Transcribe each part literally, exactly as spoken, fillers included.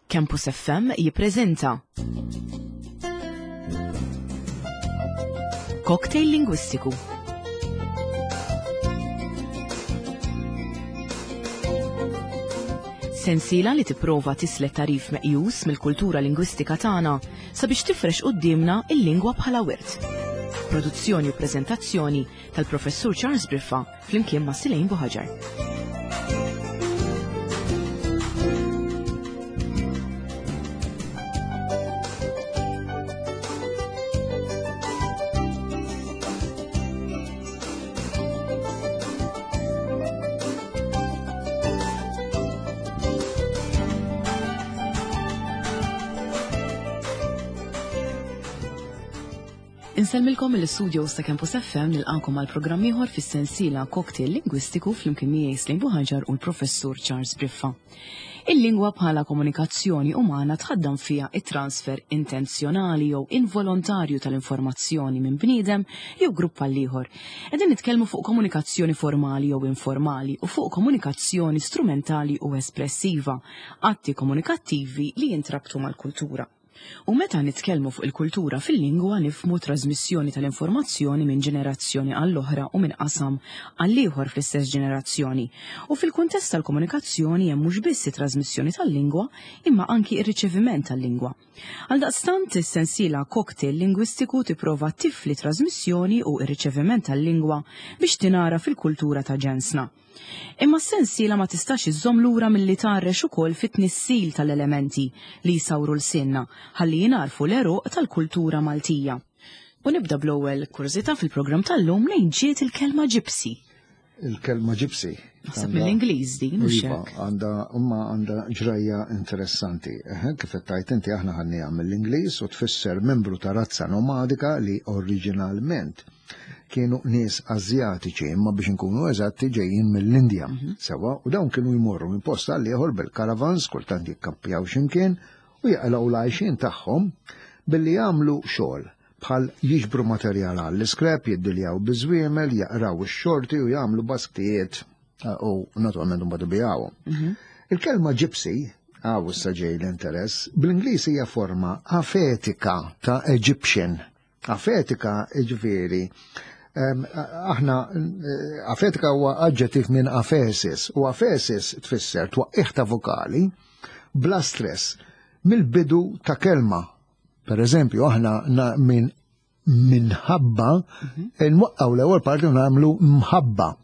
Campus F M jippreżenta Cocktail Lingwistiku. Sensiela li tipprova tislet tarif meqjus mill-kultura lingwistika tagħna sabiex tifrex quddiemna il-lingwa bħala wirt. Produzzjoni u preżentazzjoni tal-Professur Charles Briffa flimkien ma' Silejn Buħaġar. Insellmilkom mill-istudios ta' Campus F M nilqakom għal programm ieħor fis-sensiela Cocktail Lingwistiku flimkien miegħi Slejn Buħaġar u l-Professur Charles Briffa. Il-lingwa bħala komunikazzjoni umana tħaddam fiha it-transfer intenzjonali jew involontarju tal-informazzjoni minn bniedem jew grupp għal ieħor. Qegħdin nitkellmu fuq komunikazzjoni formali jew informali u fuq komunikazzjoni strumentali u espressiva, atti komunikattivi li jintrabtu mal-kultura. U meta nitkellmu fuq il-kultura fil-lingwa nifhmu trasmissjoni tal-informazzjoni minn ġenerazzjoni għall-oħra u minn qasam għall-ieħor fl-istess ġenerazzjoni. U fil-kuntest tal-komunikazzjoni hemm mhux biss it-trasmissjoni tal-lingwa imma anki r-riċeviment tal-lingwa. Għaldaqstant is-sensiela Cocktail Lingwistiku tipprova tifli trasmissjoni u r-riċeviment tal-lingwa biex tingħara fil-kultura ta' ġensna. Imma s-sensiela ma tistax iżżomm lura milli tgħarrex ukoll fit-tnissil tal-elementi li jsawru l-sinna ħalli jingħarfu l-għeruq tal-kultura Maltija. U nibda bl-ewwel kurżità fil-programm tal-lum lejn ġiet il-kelma ġipsi. Il-kelma ġipsi. Naħseb mill-Ingliż din, mhux Iva, hekk? għandha, imma għandha ġrajja interessanti. Eħe, kif qed tgħid inti aħna ħanniha mill-Ingliż u tfisser membru ta' razza nomadika li oriġinalment kienu nies Azjatiċi, imma biex inkunu eżatti ġejjin mill-Indja. Mhm. Sewa, u dawn kienu jmorru minn post għal ieħor bil-karavans, kultant jikkampjaw x'imkien u jaqilgħu l-għajxien tagħhom billi jagħmlu xogħol bħal jiġbru materjal għall-iskrep, jiddiljaw biż-żwiemel, jaqraw ix-xorti u jagħmlu basktijiet, eh, u naturalment imbagħad ibijawhom. Mhm. Il-kelma gypsy, għaw issa ġej l-interess, bl-Ingliż hija forma afetika ta' Egyptian. Afetika ġifieri, em, aħna, eh, afetika huwa aġġettiv minn afesis, u afesis tfisser twaqqih ta' vokali bla stress mill-bidu ta' kelma. Per eżempju, aħna na-, minn minħabba Mhm. nwaqqgħu l-ewwel parti u nagħmlu mħabba.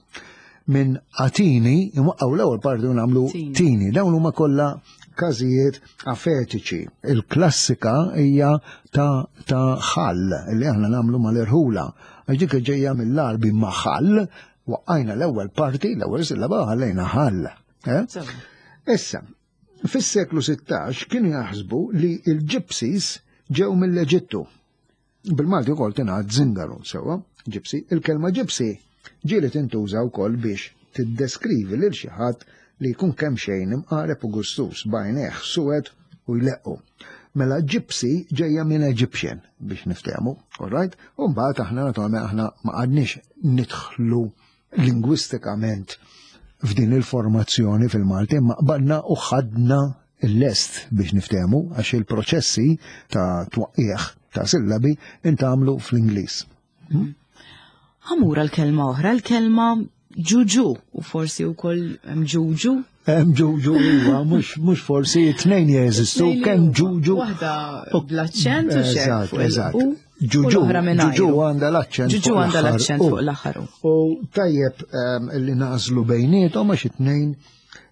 Minn atini nwaqqgħu l-ewwel parti u nagħmlu Tini. tini. Dawn huma kollha każijiet afetiċi. Il-klassika hija ta', ta' ħall li aħna nagħmlu mal-irħula. Għax dik ġejja mill-Għarbi ma' ħall, waqqajna l-ewwel parti, l-ewwel sillaba ħallejna ħall. Eh? Sewa. Issa, fis-seklu sittax kienu jaħsbu li l-Gypsies ġew mill-Eġittu. Bil-Malti wkoll tingħad zingaru, sewwa, gypsy. Il-kelma gypsy ġieli tintuża wkoll biex tiddeskrivi lil xi ħadd li jkun kemm xejn imqareb u gustus b'għajnejh suwed u jleqqu. Mela gypsy ġejja minn Egyptian biex niftehmu, all right? U mbagħad aħna naturalment aħna ma qgħadniex nidħlu lingwistikament f'din il-formazzjoni fil-Malti, imma qbadna u ħadna l-lest biex niftehmu għax il-proċessi ta' twaqqieħ ta' sillabi intagħmlu fl-Ingliż. Hmm? Ħamura l-kelma oħra, l-kelma ġuġu, u forsi wkoll hemm ġuġu. Hemm ġuġu huwa, mhux, mhux forsi tnejn jeżistu, Tnejn kemm huma. ġuġu. Waħda bl-aċċent u xejn Eżatt, fuq il- eżatt. u Ġuġu, l-oħra mingħajru. ġuġu għandha l-aċċent Ġuġu fuq għandha l-aħħar l-aċċent u. fuq l-aħħar u. U tajjeb, ehm, li nażlu bejniethom għax it-tnejn,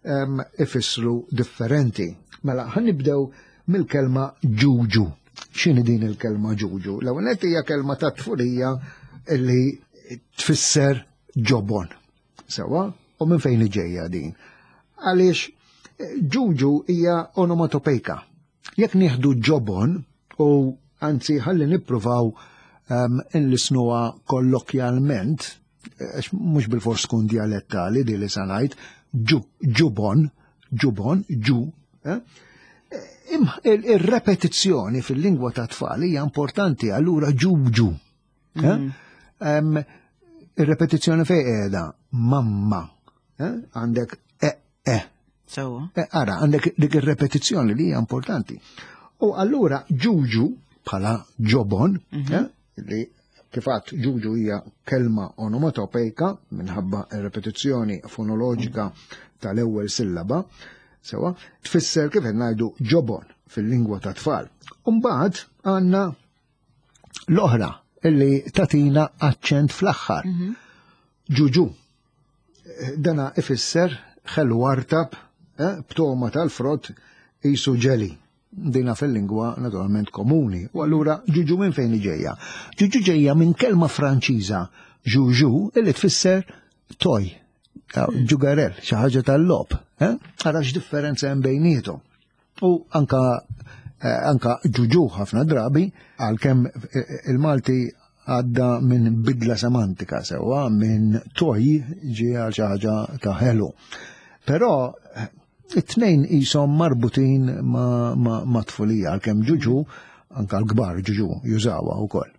ehm, ifissru differenti. Mela, ħa nibdew mill-kelma ġuġu. X'inhi din il-kelma ġuġu? L-ewwel nett hija kelma ta' tfulija li tfisser ġobon. Sewwa? U minn fejn ġejja din? Għaliex ġuġu hija onomatopejka. Jekk nieħdu ġobon u anzi ħalli nippruvaw, ehm, inlisnuha kollokjalment, għax mhux bil-fors tkun dialettali di li sa ngħid, ġu-, ġubon, ġubon, ġu, eh? Im-, il-, il-repetizzjoni fil-lingwa ta' tfal hija importanti, allura ġuġu. Eh? Mm. Em, il-repetizzjoni fejn qiegħda? Mamma. Eh? Għandek e, e. Sewwa. Eh, ara, għandek dik ir-repetizzjoni li hija importanti. U allura ġuġu bħala ġobon, eh, li kif għedt ġuġu hija kelma onomatopejka minħabba repetizzjoni fonoloġika tal-ewwel sillaba, sewwa, tfisser kif qed ngħidu ġobon fil-lingwa ta' tfal. Umbagħad għandna l-oħra illi tatina aċċent fl-aħħar. Ġuġu. Dana ifisser ħelu artab, eh, b'togħma tal-frott qisu ġeli. Dina fil-lingwa naturalment komuni. U allura ġuġu minn fejn ġejja? Ġuġu ġejja minn kelma Franċiża joujou illi tfisser toy, ġugarell, xi ħaġa tal-logħob. Eh? Ara x'differenza hemm bejniethom. U anka eh, anka ġuġu ħafna drabi għalkemm eh, il-Malti għadda minn bidla semantika sewwa minn toy ġie għal xi ħaġa ta' ħelu. Però eh, it-tnejn qishom marbutin ma', ma, ma' tfulija għalkemm ġuġu anka l-kbar ġuġu jużawha wkoll.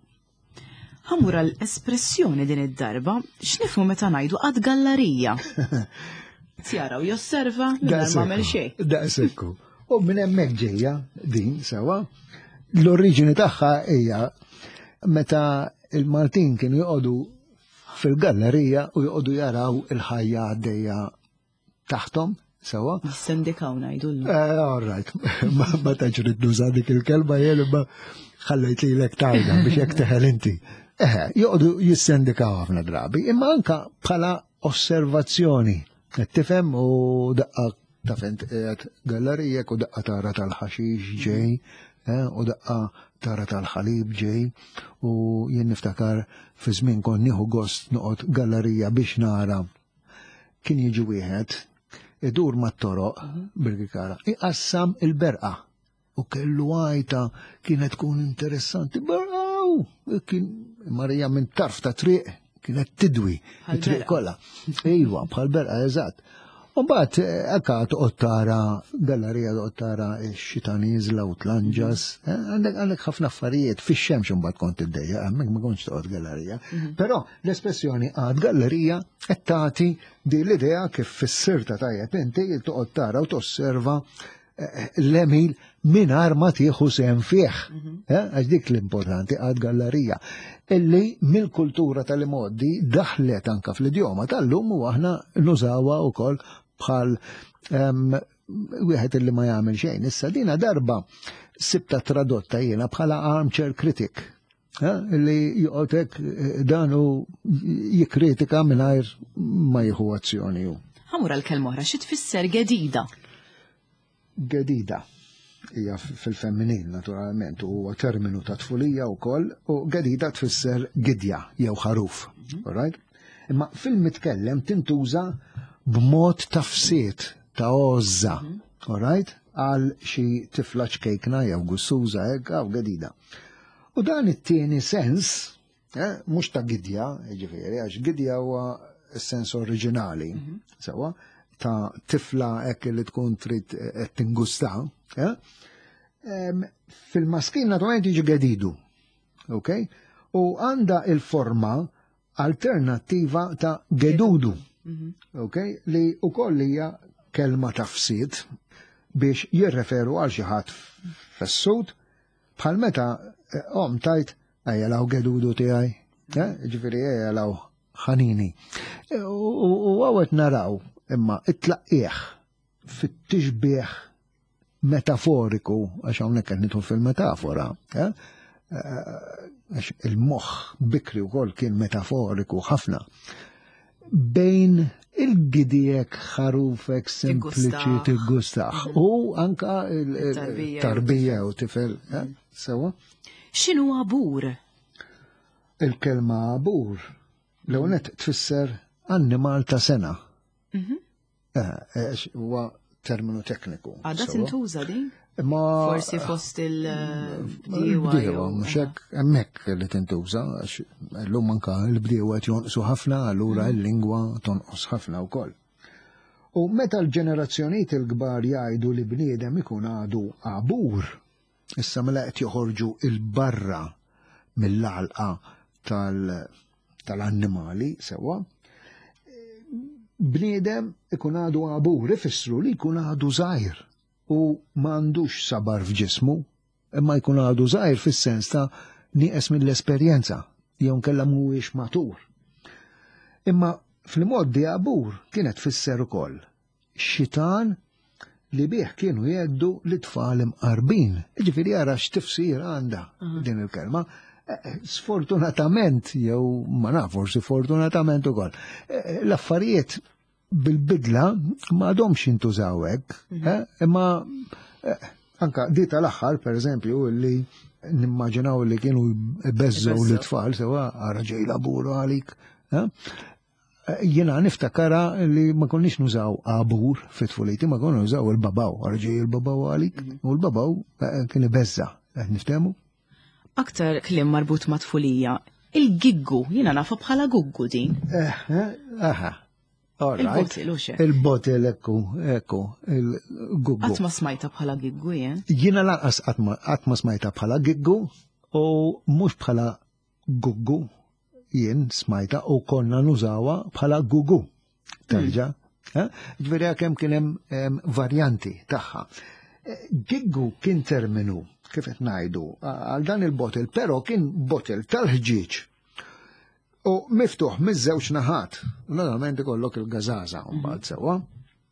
Ħa mmur l-espressjoni din id-darba, x'nifhmu meta ngħidu qagħad gallarija? Jara u josserva mingħajr ma għamel xejn. Daqsekku. U minn hemmhekk ġejja din sewwa. L-oriġini tagħha hija meta il-Maltin kienu joqogħdu fil-gallerija u joqogħdu jaraw il-ħajja għaddejja taħtom sewwa. Jissendikaw ngħidu llum. Eh, all right, ma ma tantx ridt nuża dik il-kelma jien imma ħallejt lilek tgħidha biex hekk teħel inti. Eh, joqogħdu jissendikaw ħafna drabi, imma anka bħala osservazzjoni. Qed tifhem u daqqa taf int qiegħed gallerija u daqqa tara tal-ħaxix ġej, eh, u daqqa tara tal-ħalib ġej, u jien niftakar fi żmien kont nieħu gost noqgħod gallerija biex nara kien jiġi wieħed idur mat-toroq bil-gikara, iqassam il-berqa. U kellu għajta kienet tkun interessanti. Berqaw! Kien Marija minn tarf ta' triq kienet tidwi Bħal it-triq berqa. kollha. Iva, bħal berqa, eżatt. U mbagħad hekk toqgħod tara gallerija toqgħod tara x-xita nieżla u tlanġas. Eh, Għandek għandek ħafna affarijiet fix-xemx imbagħad kont iddejja, hemmhekk ma kontx toqgħod gallerija. Però l-espressjoni qagħad gallerija qed tagħti din l-idea kif fissirta tajjeb inti toqgħod tara u tosserva eh, l-għemil mingħajr ma tieħu sehem fih. Eh, Għax dik l-importanti qagħad gallerija. Illi mill-kultura tal-imgħoddi daħlet anka fl-idjoma tal-lum u aħna nużawha wkoll bħal em, wieħed illi ma jagħmel xejn. Issa dina darba sibta tradotta jiena bħala armchair critic. Eh, Illi joqgħod hekk eh, dan u jikkritika mingħajr ma jieħu azzjoni hu. Ħa mmur għal kelma oħra, xi tfisser gedida? Gedida hija fil-femminil naturalment u huwa terminu ta' tfulija wkoll u gedida tfisser gidja jew ħaruf. All right? Imma fil-mitkellem tintuża b'mod tafsiet ta' għożża, all right? Għal xi tifla ċkejkna jew gussuża hekk għaw gedida. U dan it-tieni sens, eh, mhux ta' gidja, jiġifieri, għax gidja huwa s-sens oriġinali, sewwa, ta' tifla hekk li tkun trid qed tingusta, eh? Em, Fil-maskin naturalment jiġi gedidu, ok? U għanda il-forma alternattiva ta' gedudu, ok? Li ukoll hija kelma tafsid biex jirreferu għal xi ħadd fessut bħal meta eh, om tgħid ejja 'l hawn gedudu tiegħi, eh? Ġifieri ejja 'l hawn ħanini. E, U u hawn naraw imma it-tlaqqieħ fit-tixbieħ metaforiku, għax hawnhekk qed nidħol fil-metafora, eh? Eh, għax il-moħħ bikri wkoll kien metaforiku ħafna. Bejn il-gidijek ħarufek sempliċi Tiggustaħ. tiggustaħ u anka Il-tarbija. il-tarbija u tifel, eh? Sewwa? X'inhu abur? Il-kelma abur l-ewwel tfisser annimal ta' sena. Mhm. Eh, għax huwa terminu tekniku. Għadha Sewwa. tintuża din? Ma Forsi fost il-bdiewa. Bdiewa, mhux hekk hemmhekk li tintuża, għax llum anka l-bdiewa qed jonqsu ħafna, allura l-lingwa tonqos ħafna wkoll. U meta l-ġenerazzjonijiet il-kbar jgħidu li bniedem ikun għadu abur, issa mela qed joħorġu il-barra mill-għalqa tal- tal-annimali sewwa, Bniedem ikun għadu għabur, ifissru li jkun għadu żgħir u m'għandux sabar f'ġismu, imma jkun għadu żgħir fis-sens ta' nieqes mill-esperjenza, jew nkella mhuwiex matur. Imma fil-moddi għabur kienet tfisser ukoll xitan li bih kienu jeddu li tfal imqarbin. Ġifieri ara x'tifsir għandha din il-kelma. Sfortunatament, jew ma naf, forsi fortunatament ukoll, l-affarijiet bil-bidla ma għadhomx jintużaw hekk, imma anka di tal-aħħar, per eżempju, li nimmaġinaw li kienu jbeżżgħu l-tfal, sewa ara ġej laburu għalik. Jiena niftakara li ma konniex nużaw għabur fit-tfuliti, ma konna nużaw il-babaw, ara ġej il-babaw għalik, u l-babaw kien ibeżża', niftehmu? Aktar kliem marbut ma' tfulija, il-giggu, jiena nafa bħala guggu din. Aha. Il-botil, u xe. Il-botil, ekku, ekku, il-guggu. Qatt ma smajta bħala giggu, jien? Jiena lanqas qatt ma smajta bħala giggu u mhux bħala guggu jien smajta u konna nużawa bħala gugu. Terġa'. Ġifieri kemm kien hemm varjanti tagħha. Giggu kien terminu, kif qed ngħidu, għal dan il-botil, però kien botil tal-ħġieġ. U miftuħ miż-żewġ naħat, normalment ikollok il-gażaża mbagħad sewwa.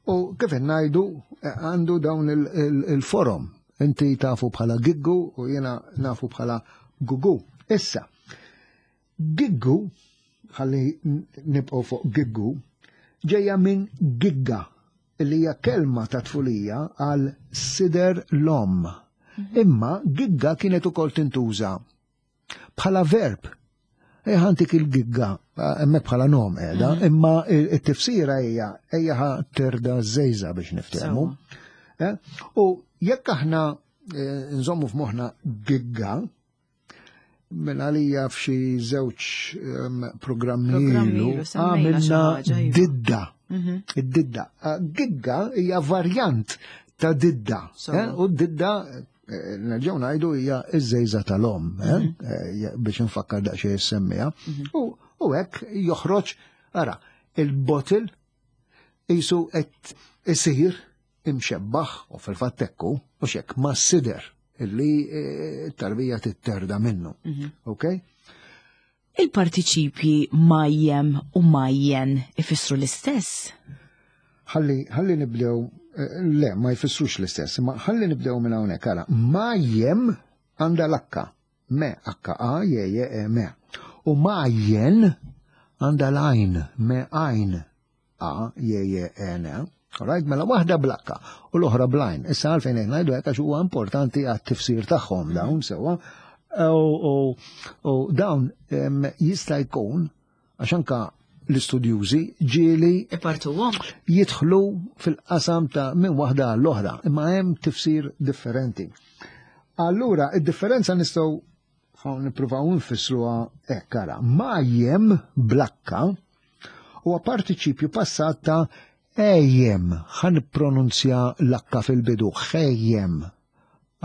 U kif qed ngħidu għandu dawn il-forom. Inti tafu bħala giggu u jiena nafu bħala gugu. Issa, giggu, ħalli nibqgħu fuq giggu, ġejja minn gigga, li hija kelma ta' tfulija għal sider l-om. Imma gigga kienet ukoll tintuża bħala verb. Ħantik il-gigga, hemmhekk bħala nom qiegħda, imma t-tifsira hija ejja ħa terda żejża biex niftehmu. U jekk aħna nżommu f'moħħna gigga, minn għalija f'xi żewġ programmi ilu għamilna didda. Id-didda. Gigga hija varjant ta' didda. U d-didda nerġgħu ngħidu hija iż-żejża tal-om, biex nfakkar daqsxejn semmija. U hekk joħroġ, ara, il-botil qisu qed isir imxebbaħ u fil-fatt ekku u xek ma' sider illi t-tarbija titterda minnu. Ok? Il-partiċipji majjem u majjen ifissru l-istess? Ħalli nibdew, le, ma jfissrux l-istess, ma ħalli nibdew minn hawnhekk ara. Majjem għandha l-akka, me akka a je je e me. U majjen għandha l-għajn, me għajn a je je e ne. Alright, mela waħda blakka u l-oħra blajn. Issa għalfejn qed ngħidu hekk għax huwa importanti għat-tifsir tagħhom dawn sewwa. U dawn jista' jkun għax anka l-istudjużi ġieli ipartuhom jidħlu fil-qasam ta' minn waħda għall-oħra, imma hemm tifsir differenti. Allura, id-differenza nistgħu nippruvaw nfissruha hekk ara. Majjem blakka huwa partiċipju passat ta' ejjem, ħan pronunzja l-akka fil-bidu, ħejjem.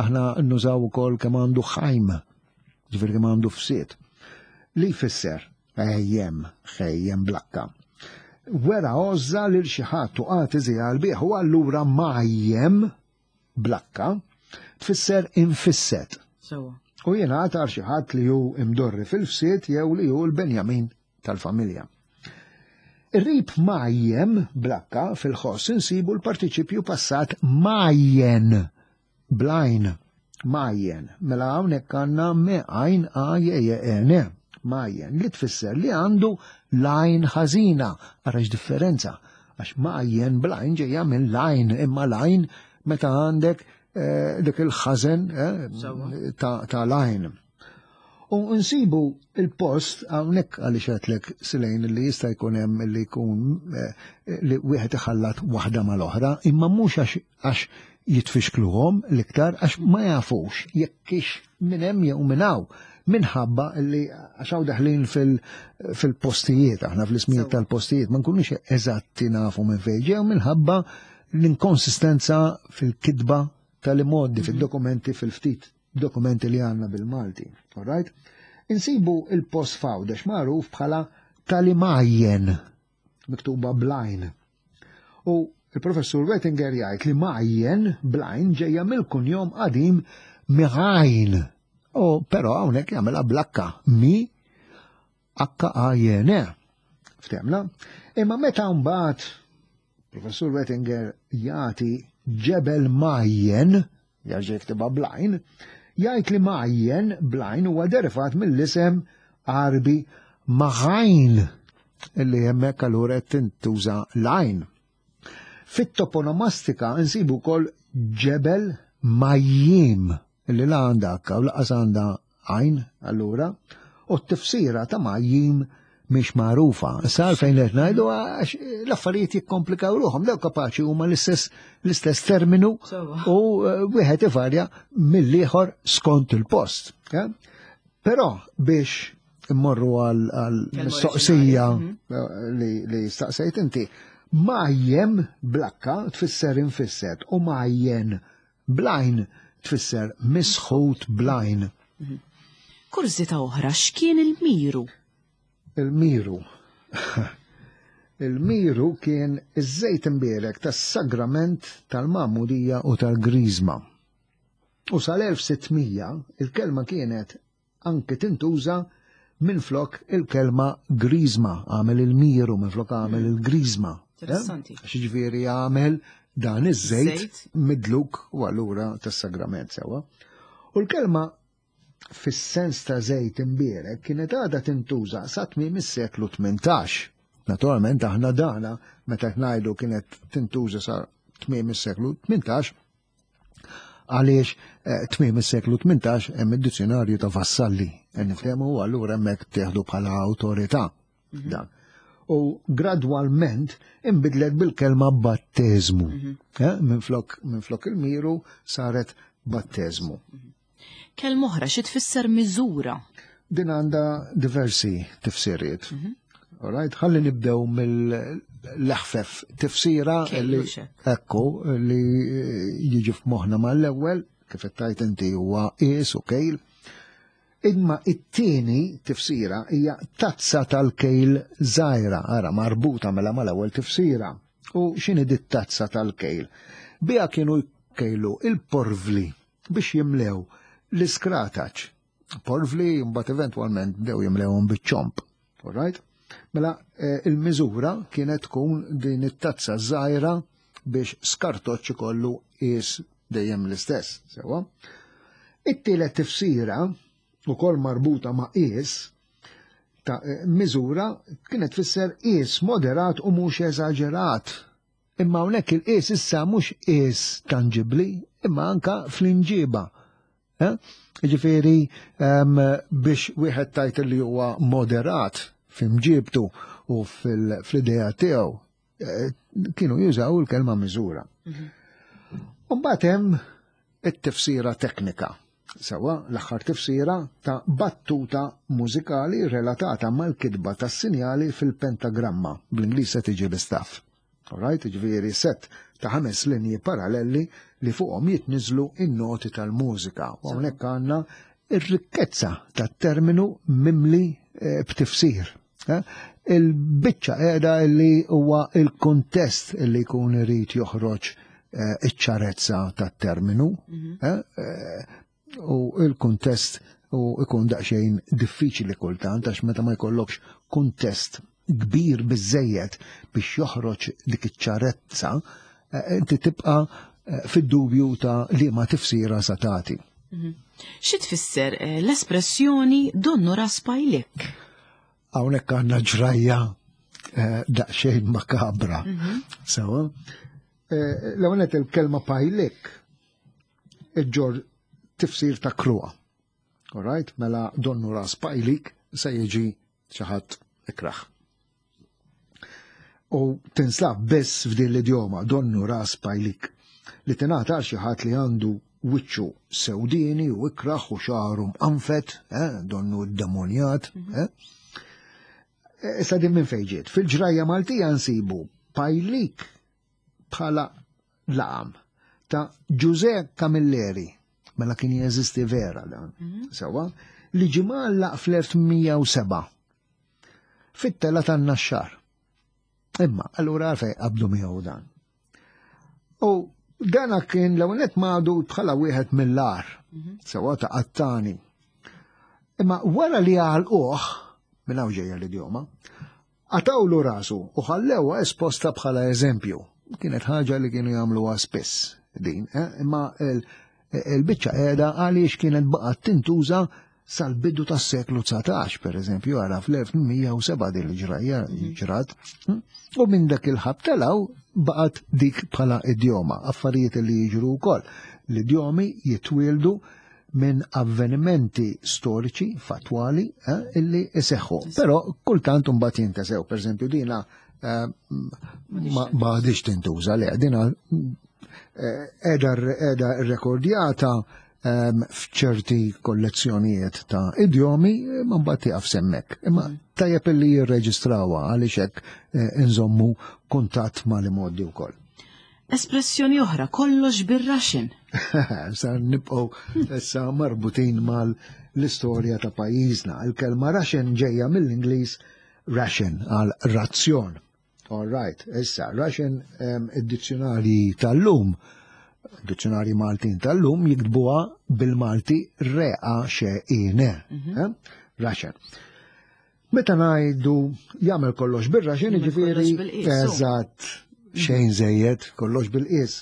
Aħna nużaw ukoll kemm għandu ħajm, ġifieri kemm għandu fsiet. Li jfisser ejjem, ħejjem blakka. Wera għożża lil xi ħadd u qagħad iżjal bih, u allura majjem blakka tfisser infisset. U jingħata għal xi ħadd li hu imdorri fil-fsiet jew li hu l-Benjamin tal-familja. Ir-rib majjem blakka fil-ħoss insibu l-partiċipju passat majjen blajn majjen. Mela hawnhekk għandna me għajn a je je e ne majjen li tfisser li għandu lajn ħażina. Ara x'differenza, għax majjen blajn ġejja minn lajn, imma lajn meta għandek dik il-ħażen ta' lajn. U nsibu il-post hawnhekk għaliex għedtlek Silejn li jista' jkun hemm li jkun li wieħed iħallat waħda mal-oħra, imma mhux għax jitfixkluhom l-iktar għax ma jafux jekkix minn hemm jew minn hawn, minħabba li għax hawn daħlin fil-postijiet, aħna fl-ismijiet tal-postijiet ma nkunux eżatti nafu minn fejn ġew minħabba l-inkonsistenza fil-kitba tal-imoddi, fil-dokumenti, fil-ftit dokumenti li għanna bil-Malti. All right? Insibu il-post f'Għawdex magħruf bħala talimajjen. miktuba blajn. U il-professur Wettinger jgħid li Majjen blajn ġejja mill-kunjom qadim Miħajn. U però hawnhekk jagħmilha blakka mi H A J N. Ftemna? Imma meta mbagħad professur Wettinger jagħti ġebel Majjen, jerġa' jiktibha blajn, jgħid li Majjen blajn huwa derivat mill-isem Għarbi Maħajn, illi hemmhekk allura qed tintuża lajn. Fit-toponomastika nsibu wkoll ġebel Majjim, illi la għandha akka u laqas għandha għajn allura, u t-tifsira ta' Majjim mhix magħrufa. Issa għalfejn qed ngħidu għax l-affarijiet jikkomplikaw ruħhom, daw kapaċi huma l-istess l-istess terminu u wieħed ivarja mill-ieħor skont il-post. Però biex immorru għal mistoqsija li staqsejt inti, Majjem blakka tfisser infisset u Majjen blajn tfisser misħut blajn. Kurżità oħra, x'kien il-miru? Il-miru. Il-miru kien iż-żejt imbierek tas-sagrament tal-Magħmudija u tal-Griżma. U sal-elf sittmija il-kelma kienet anke tintuża minflok il-kelma griżma, għamel il-miru minflok għamel il-griżma. Interessanti. Għax jiġifieri għamel dan iż-żejt midluk u allura tas-sagrament sewwa. U l-kelma fis-sens ta' żejt imbierek kienet għadha tintuża sa tmiem is-seklu tmintax. Naturalment aħna dana meta ngħidu kienet tintuża sa tmiem is-seklu tmintax, għaliex tmiem is-seklu tmintax hemm id-dizzjonarju ta' Vassalli, nifhemu allura hemmhekk tieħdu bħala awtorità dan. U gradwalment inbidlet bil-kelma batteżmu. Minflok minflok il-miru saret batteżmu. Kelma oħra xi tfisser miżura? Din għandha diversi tifsiriet. All right, ħalli nibdew mill-leħfef tifsira li ekku li jiġi f'moħħna mal-ewwel, kif qed tgħid inti huwa qies u kejl. Imma it-tieni tifsira hija tazza tal-kejl żgħira, ara marbuta mela mal-ewwel tifsira. U x'inhi dit tazza tal-kejl? Biha kienu jkejlu il-porvli biex jimlew l-iskrataċ. Porvli mbagħad eventwalment bdew jimlewhom biċ-ċomp. All right? Mela il-miżura kienet tkun din it-tazza żgħira biex skartoċċ ikollu qies dejjem l-istess, sewwa. It-tielet tifsira ukoll marbuta ma' qies ta' miżura kienet tfisser qies moderat u mhux eżaġerat. Imma hawnhekk il-qies issa mhux qies tanġibbli, imma anka fl-inġiba. Jiġifieri biex wieħed tajt li huwa moderat f'imġibtu u fl-idea tiegħu kienu jużaw il-kelma miżura. U mbagħad hemm it-tifsira teknika. Sewwa l-aħħar tifsira ta' battuta mużikali relatata mal-kitba tas-sinjali fil-pentagramma, bl-Ingliż se tiġi l-istaff. All right, jiġifieri set ta' ħames linji paralleli li fuqhom jitniżlu in-noti tal-mużika. U hawnhekk għandna ir-rikkezza tat-terminu mimli b'tifsir. Il-biċċa qiegħda li huwa il-kuntest li jkun irid joħroġ iċ-ċarezza tat-terminu. U il-kuntest u ikun daqsxejn diffiċli kultant għax meta ma jkollokx kuntest kbir biżejjed biex joħroġ dik iċ-ċarezza, inti tibqa' fid-dubju ta' li ma tifsira sa tagħti. Xi tfisser l-espressjoni donnu ras pajlik? Hawnhekk għandna ġrajja daqsxejn makabra. Sewa. L-ewwel il-kelma pajlik iġġor tifsir ta' kruha. All right, mela donnu ras pajlik se jiġi xi ħadd ikraħ. U tinslab biss f'din l-idjoma donnu ras pajlik li tingħata għal xi ħadd li għandu wiċċu sewdini u ikraħ u xagħru mqanfet, eh, donnu demonjat. Eh. Issa din minn fejn ġiet? Fil-ġrajja Maltija nsibu pajlik bħala laqam ta' Ġuże Camilleri, mela kien jeżisti vera dan, sewwa, li ġie mgħallaq fl-elf mija u seba' fit-tela tan-Naxxar. Imma, allura għalfejn qabdu miegħu dan. U dana kien l-ewwel madu bħala wieħed mill-agħar, sewwa ta' qattani. Imma wara li għalquh, minn hawn ġejja l-idjoma, qatgħulu rasu u ħallewha esposta bħala eżempju. Kienet ħaġa li kienu jagħmluha spiss din, eh? Imma il-biċċa qiegħda għaliex kienet baqgħet tintuża sal-bidu tas-seklu dsatax, per eżempju, għara fl-elf tmien mija u sebgħa din il-ġrajja ġrat. U minn dak il-ħabta 'l hawn baqgħet dik bħala idjoma, affarijiet li jiġru wkoll. L-idjomi jitwieldu minn avvenimenti storiċi, fatwali, eh, illi iseħħu. Però kultant mbagħad jintesew, per eżempju, dina eh, ma għadhiex tintuża, le, dina qiegħda qiegħda rekordjata f'ċerti kollezzjonijiet ta' idjomi, ma mbagħad tieqaf s'hemmhekk. Imma tajjeb illi jirreġistrawha għaliex hekk inżommu kuntatt mal-imgħoddi wkoll. Espressjoni oħra, kollox bir-ration. Sa nibqgħu issa marbutin mal-istorja ta' pajjiżna. Il-kelma ration ġejja mill-Ingliż ration għal razzjon. All right, issa, ration, id-dizzjonari tal-lum, dizzjonari Maltin tal-lum jiktbuha bil-Malti reqa xeqine. Ration. Meta ngħidu jagħmel kollox bir-ration, jiġifieri eżatt, xejn żejjed, kollox bil-qies.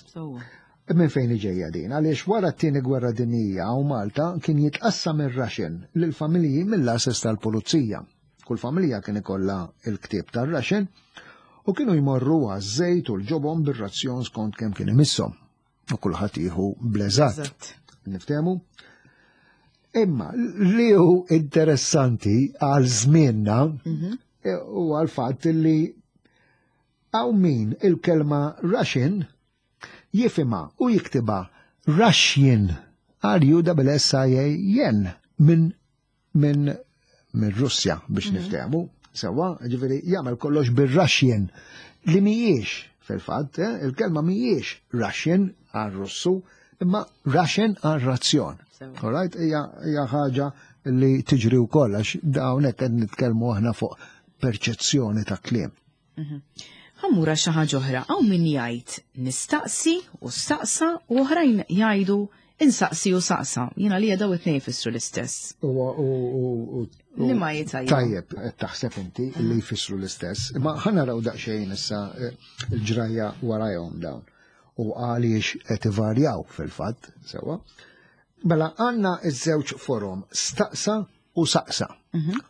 Minn fejn ġejja din? Għaliex wara t-tieni gwerra dinjija u Malta kien jitqassam ir-ration lill-familji mill-għases tal-pulizija. Kull familja kien ikollha il-ktieb tar-ration u kienu jmorru għaż-żejt u l-ġobon bir-razzjon skont kemm kien imisshom. U kulħadd jieħu bl-eżatt. Niftehmu? Imma li hu interessanti għal żmienna u għal fatt li hawn min il-kelma ration jifhimha u jiktiba Russian, R U S S I A N, minn minn minn Russja biex niftehmu. Sewwa, ġifieri jagħmel kollox bir-Russian li mhijiex fil-fatt, eh, il-kelma mhijiex Russian għal Russu, imma ration għal razzjon. All right, hija ħaġa li tiġri wkoll għax hawnhekk qed nitkellmu aħna fuq perċezzjoni ta' kliem. Ħa mmur xi ħaġa oħra, hawn min jgħid nistaqsi u staqsa u oħrajn jgħidu insaqsi u saqsa. Jiena li daw it-tnejn jfissru l-istess. Li ma jitajjeb. Tajjeb, qed taħseb inti li jfissru l-istess. Ma ħa naraw daqsxejn issa eh, il-ġrajja warajhom dawn. U għaliex qed ivarjaw fil-fatt, sewwa. Mela għandna iż-żewġ forom, staqsa u saqsa.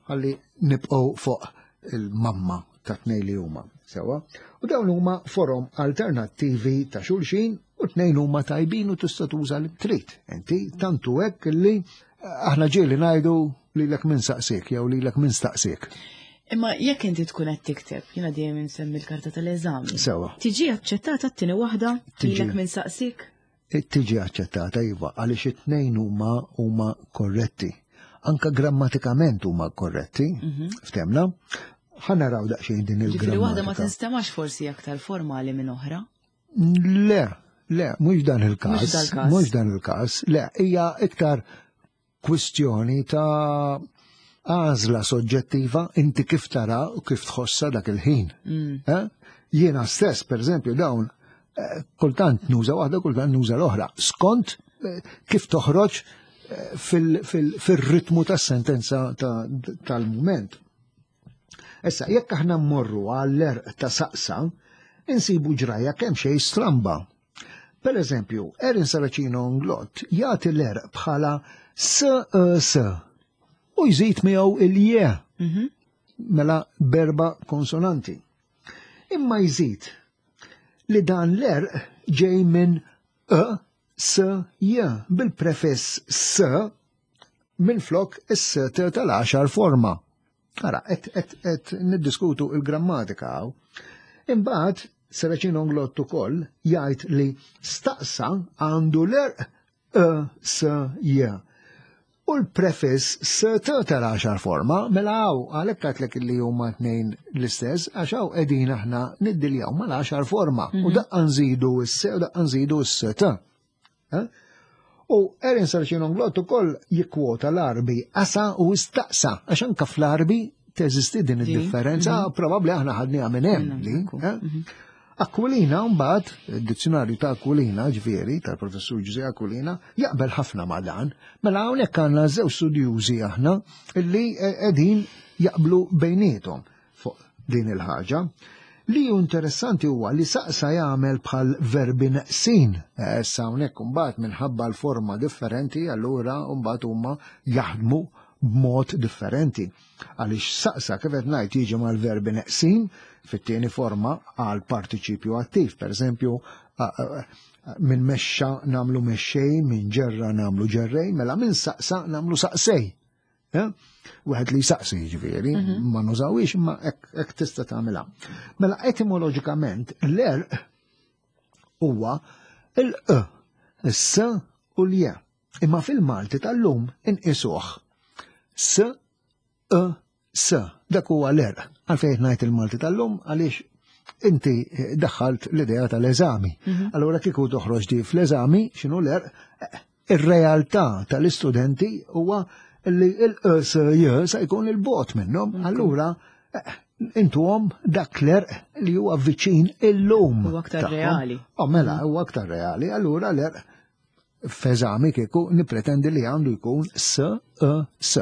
Ħalli nibqgħu fuq il-mamma ta' tnejn li huma, sewwa. U dawn huma forom alternattivi ta' xulxin u tnejn huma tajbin u tista' tuża li trid. Inti tantu hekk li aħna ġieli ngħidu lilek min saqsik jew lilek min staqsik. Imma jekk inti tkun qed tikteb, jiena dejjem insemmi l-karta tal-eżami. Sewwa. Tiġi aċċettata t-tieni waħda Tiġi. lilek min saqsik? Tiġi aċċettata, iva, għaliex it-tnejn huma huma korretti. Anka grammatikament huma korretti, ftehmna? Ħa naraw daqsxejn din Ġifieri waħda ma il-grammatika. tinstemax forsi aktar formali minn oħra. Le, le, mhux dan il-każ. Mhux dal-każ. Mhux dan il-każ. Le, hija iktar kwistjoni ta' għażla soġġettiva, inti kif tara u kif tħossa dak il-ħin. Eh? Jiena stess, per eżempju, dawn eh, kultant nuża waħda, kultant nuża l-oħra. Skont eh, kif toħroġ eh, fil- fil- fil-ritmu tas-sentenza ta- tal-moment. Issa, jekk aħna mmorru għall-għerq ta' saqsa, insibu ġraja kemm xejn stramba. Per eżempju, Erin Saracino Englott jagħti l-għerq bħala S E S u jżid miegħu il-je, mela b'erba' konsonanti. Imma jżid li dan l-għerq ġej minn E S J bil-prefiss S minn flok is-S T tal-għaxar forma. Ara, et, et, et niddiskutu il-grammatika hawn. Imbagħad Saracino Englott ukoll jgħid li staqsa għandu l-għerq E S J. U l-prefiss S T tal-għaxar forma, mela hawn, għalhekk għedtlek li huma tnejn l-istess, għax hawn qegħdin aħna niddiljaw mal-għaxar forma. U daqqa nżidu s-S u daqqa nżidu s-S T. Eh? U Erin Saracino Englott ukoll jikkwota l-Għarbi asa u istaqsa, għax anka fl-Għarbi Teżisti din id-differenza, mhm. probabbli aħna ħadniha minn hemm li. Eh? Mhm. Aquilina mbagħad, id-dizzjonarju ta' Aquilina, ġifieri, tal-professur Ġużè Aquilina, jaqbel ħafna ma' dan. Mela hawnhekk għandna żewġ studjużi aħna illi qegħdin jaqblu bejniethom fuq din il-ħaġa. Li hu interessanti huwa li saqsa jagħmel bħal verbi neqsin. Eh, issa hawnhekk imbagħad minħabba l-forma differenti, allura mbagħad huma jaħdmu b'mod differenti. Għaliex saqsa kif qed ngħid jiġi mal-verbi neqsin fit-tieni forma għal partiċipju attiv. Per eżempju, minn mexxa namlu mexxej, minn ġerra namlu ġerrej, mela minn saqsa namlu saqsej. Wieħed li saqsi ġifieri, mhm. ma nużawix imma hekk tista' tagħmilha. Mela etimoloġikament l-għerq huwa il-e, s u l-je. Imma fil-Malti tal-lum inqisuh. S, E, S. Dak huwa l-għerq. Għalfejn ngħid il-Malti tal-lum għaliex inti daħħalt l-idea tal-eżami. Mhm. Allura kieku toħroġ di fl-eżami, x'inhu l-għerq, ir-realtà tal-istudenti huwa li il-S J sa jkun il-bot minnhom. Allura intuhom dak l-għerq li huwa viċin illum. Huwa aktar reali. Oh, mela, huwa aktar reali. Allura l-għerq f'eżami kieku nipretendi li għandu jkun S, E, S.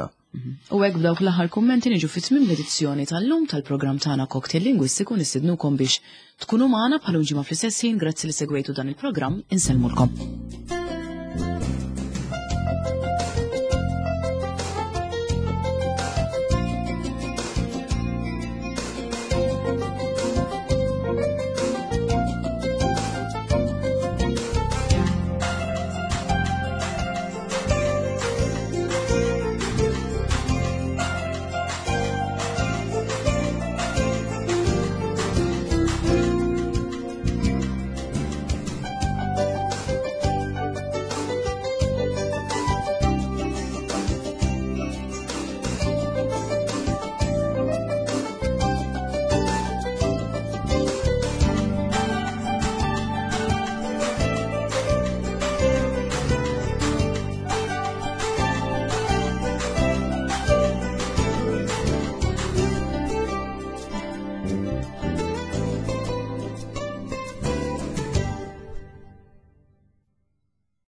U hekk b'dawk l-aħħar kummenti niġu fi tmiem l-edizzjoni tal-lum tal-programm tagħna Cocktail Lingwistiku nistidnukom biex tkunu magħna bħal ġimgħa fl-istess ħin grazzi li segwejtu dan il-programm insellmulkom.